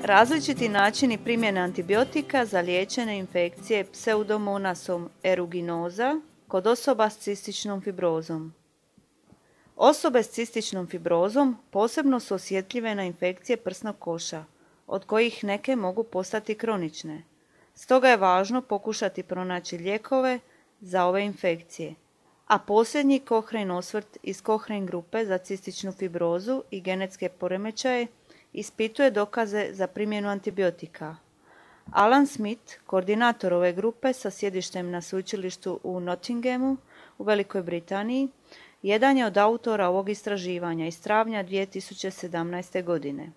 Različiti načini primjene antibiotika za liječenje infekcije pseudomonasom aeruginosa kod osoba s cističnom fibrozom. Osobe s cističnom fibrozom posebno su osjetljive na infekcije prsnog koša, od kojih neke mogu postati kronične. Stoga je važno pokušati pronaći lijekove za ove infekcije. A posljednji Cochrane osvrt iz Cochrane grupe za cističnu fibrozu i genetske poremećaje ispituje dokaze za primjenu antibiotika. Alan Smith, koordinator ove grupe sa sjedištem na sveučilištu u Nottinghamu u Velikoj Britaniji, jedan je od autora ovog istraživanja iz travnja 2017. godine.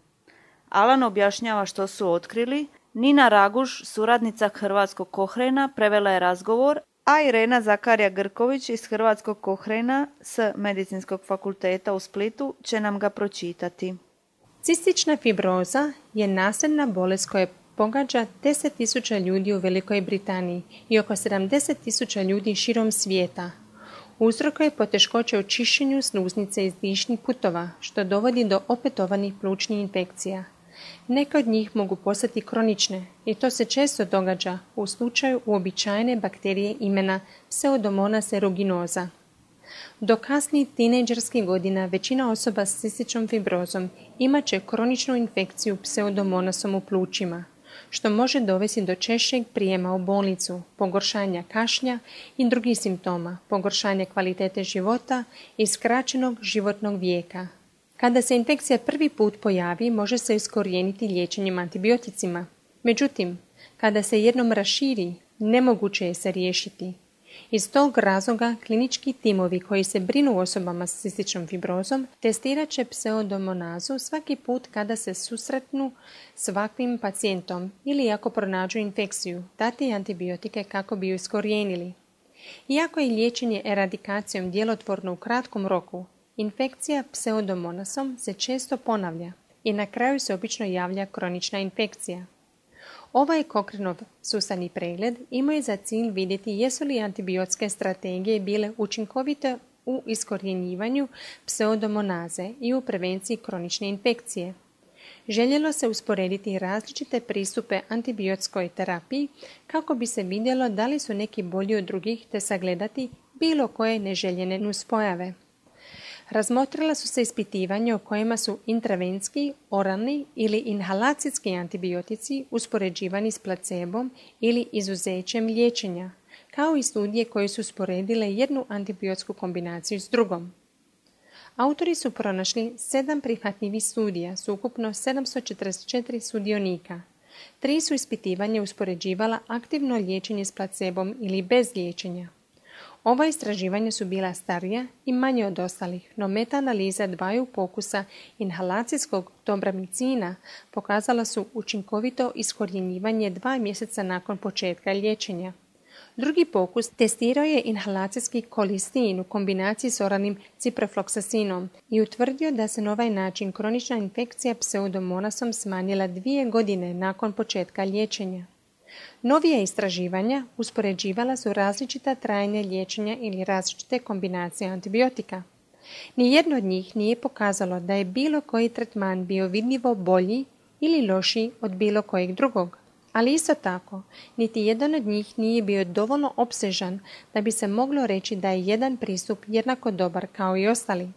Alan objašnjava što su otkrili. Nina Raguž, suradnica hrvatskog Cochrana, prevela je razgovor, a Irena Zakarija Grković iz hrvatskog Cochrana s Medicinskog fakulteta u Splitu će nam ga pročitati. Cistična fibroza je nasljedna bolest koja pogađa 10.000 ljudi u Velikoj Britaniji i oko 70.000 ljudi širom svijeta. Uzrokuje poteškoće u čišćenju sluznice iz dišnih putova, što dovodi do opetovanih plućnih infekcija. Neke od njih mogu postati kronične i to se često događa u slučaju uobičajene bakterije imena Pseudomonas aeruginosa. Do kasnih tinejdžerskih godina većina osoba s cističnom fibrozom imat će kroničnu infekciju pseudomonasom u plućima, što može dovesti do češćeg prijema u bolnicu, pogoršanja kašnja i drugih simptoma, pogoršanja kvalitete života i skraćenog životnog vijeka. Kada se infekcija prvi put pojavi, može se iskorijeniti liječenjem antibioticima. Međutim, kada se jednom raširi, nemoguće je se riješiti. Iz tog razloga klinički timovi koji se brinu o osobama s cističnom fibrozom testirat će pseudomonazu svaki put kada se susretnu s ovakvim pacijentom ili ako pronađu infekciju, dati antibiotike kako bi ju iskorijenili. Iako je liječenje eradikacijom djelotvorno u kratkom roku, infekcija pseudomonasom se često ponavlja i na kraju se obično javlja kronična infekcija. Ovaj Cochranov sustavni pregled imao je za cilj vidjeti jesu li antibiotske strategije bile učinkovite u iskorjenjivanju pseudomonaze i u prevenciji kronične infekcije. Željelo se usporediti različite pristupe antibiotskoj terapiji kako bi se vidjelo da li su neki bolji od drugih te sagledati bilo koje neželjene nuspojave. Razmotrila su se ispitivanja u kojima su intravenski, oralni ili inhalacijski antibiotici uspoređivani s placebom ili izuzećem liječenja, kao i studije koje su usporedile jednu antibiotsku kombinaciju s drugom. Autori su pronašli 7 prihvatljivih studija s ukupno 744 sudionika. 3 su ispitivanja uspoređivala aktivno liječenje s placebom ili bez liječenja. Ova istraživanja su bila starija i manje od ostalih, no meta-analiza dvaju pokusa inhalacijskog dobramicina pokazala su učinkovito iskorjenjivanje 2 mjeseca nakon početka liječenja. Drugi pokus testirao je inhalacijski kolistin u kombinaciji s oralnim ciprofloksasinom i utvrdio da se na ovaj način kronična infekcija pseudomonasom smanjila 2 godine nakon početka liječenja. Novija istraživanja uspoređivala su različita trajanja liječenja ili različite kombinacije antibiotika. Nijedno od njih nije pokazalo da je bilo koji tretman bio vidljivo bolji ili lošiji od bilo kojeg drugog. Ali isto tako, niti jedan od njih nije bio dovoljno opsežan da bi se moglo reći da je jedan pristup jednako dobar kao i ostali.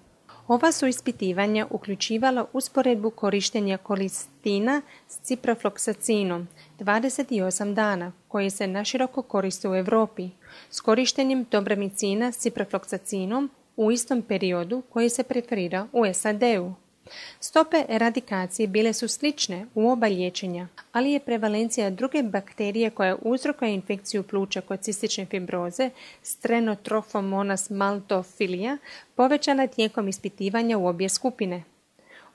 Ova su ispitivanja uključivala usporedbu korištenja kolistina s ciprofloksacinom 28 dana, koji se naširoko koriste u Europi, s korištenjem dobramicina s ciprofloksacinom u istom periodu koji se preferira u SAD-u. Stope eradikacije bile su slične u oba liječenja, ali je prevalencija druge bakterije koja uzrokuje infekciju pluća kod cistične fibroze, Strenotrophomonas maltophilia, povećana tijekom ispitivanja u obje skupine.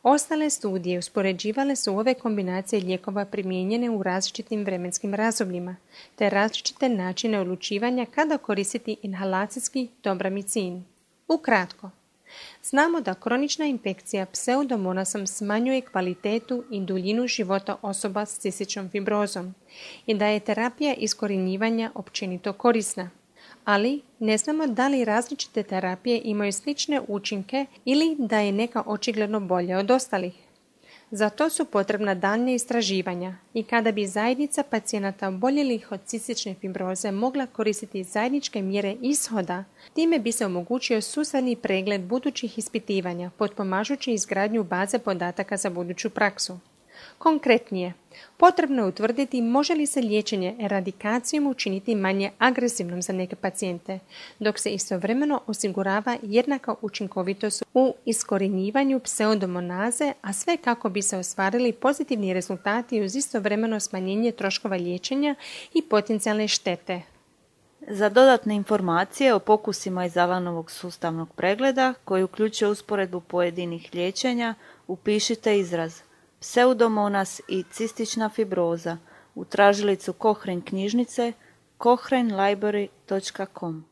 Ostale studije uspoređivale su ove kombinacije lijekova primijenjene u različitim vremenskim razdobljima, te različite načine odlučivanja kada koristiti inhalacijski dobramicin. Ukratko, znamo da kronična infekcija pseudomonasom smanjuje kvalitetu i duljinu života osoba s cističnom fibrozom i da je terapija iskorjenjivanja općenito korisna. Ali ne znamo da li različite terapije imaju slične učinke ili da je neka očigledno bolja od ostalih. Za to su potrebna daljnja istraživanja i kada bi zajednica pacijenata oboljelih od cistične fibroze mogla koristiti zajedničke mjere ishoda, time bi se omogućio sustavni pregled budućih ispitivanja, potpomažući izgradnju baze podataka za buduću praksu. Konkretnije, potrebno je utvrditi može li se liječenje eradikacijom učiniti manje agresivnom za neke pacijente, dok se istovremeno osigurava jednaka učinkovitost u iskorjenjivanju pseudomonaze, a sve kako bi se ostvarili pozitivni rezultati uz istovremeno smanjenje troškova liječenja i potencijalne štete. Za dodatne informacije o pokusima iz Avanovog sustavnog pregleda, koji uključuje usporedbu pojedinih liječenja, upišite izraz pseudomonas i cistična fibroza u tražilicu Cochrane knjižnice cochranelibrary.com.